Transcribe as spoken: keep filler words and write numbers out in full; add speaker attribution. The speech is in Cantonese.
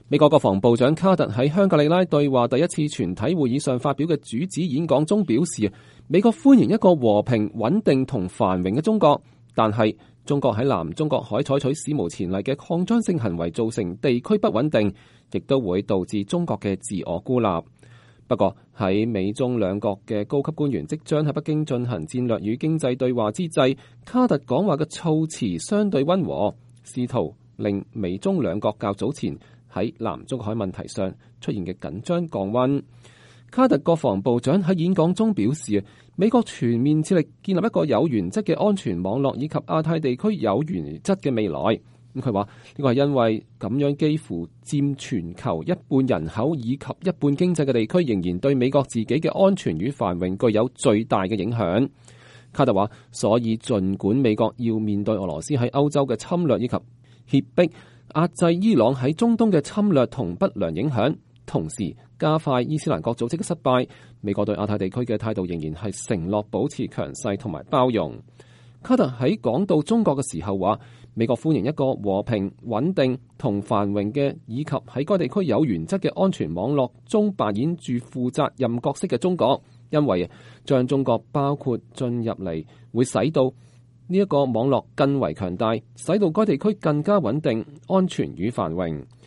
Speaker 1: 美國國防部長卡特喺香格里拉對話第一次全體會議上發表嘅主旨演講中表示，美國歡迎一個和平、穩定同繁榮嘅中國，但係中國喺南中國海採取史無前例嘅擴張性行為，造成地區不穩定，亦都會導致中國嘅自我孤立。不過喺美中兩國嘅高級官員即將喺北京進行戰略與經濟對話之際，卡特講話嘅措辭相對溫和，試圖令美中兩國較早前喺南中國海問題上出現嘅緊張降溫。卡特國防部長喺演講中表示，美國全面致力建立一個有原則嘅安全網絡，以及亞太地區有原則嘅未來。咁佢話呢個係因為咁樣幾乎佔全球一半人口以及一半經濟嘅地區，仍然對美國自己嘅安全與繁榮具有最大嘅影響。卡特話，所以儘管美國要面對俄羅斯喺歐洲嘅侵略以及脅迫壓制伊朗喺中東嘅侵略同不良影響，同時加快伊斯蘭國組織嘅失敗，美國對亞太地區嘅態度仍然係承諾保持強勢同埋包容。卡特喺講到中國嘅時候話，美國歡迎一個和平、穩定同繁榮嘅，以及喺該地區有原則嘅安全網絡中扮演住負責任角色嘅中國，因為將中國包括進入嚟，會使到呢一個網絡更為強大，使到該地區更加穩定、安全與繁榮。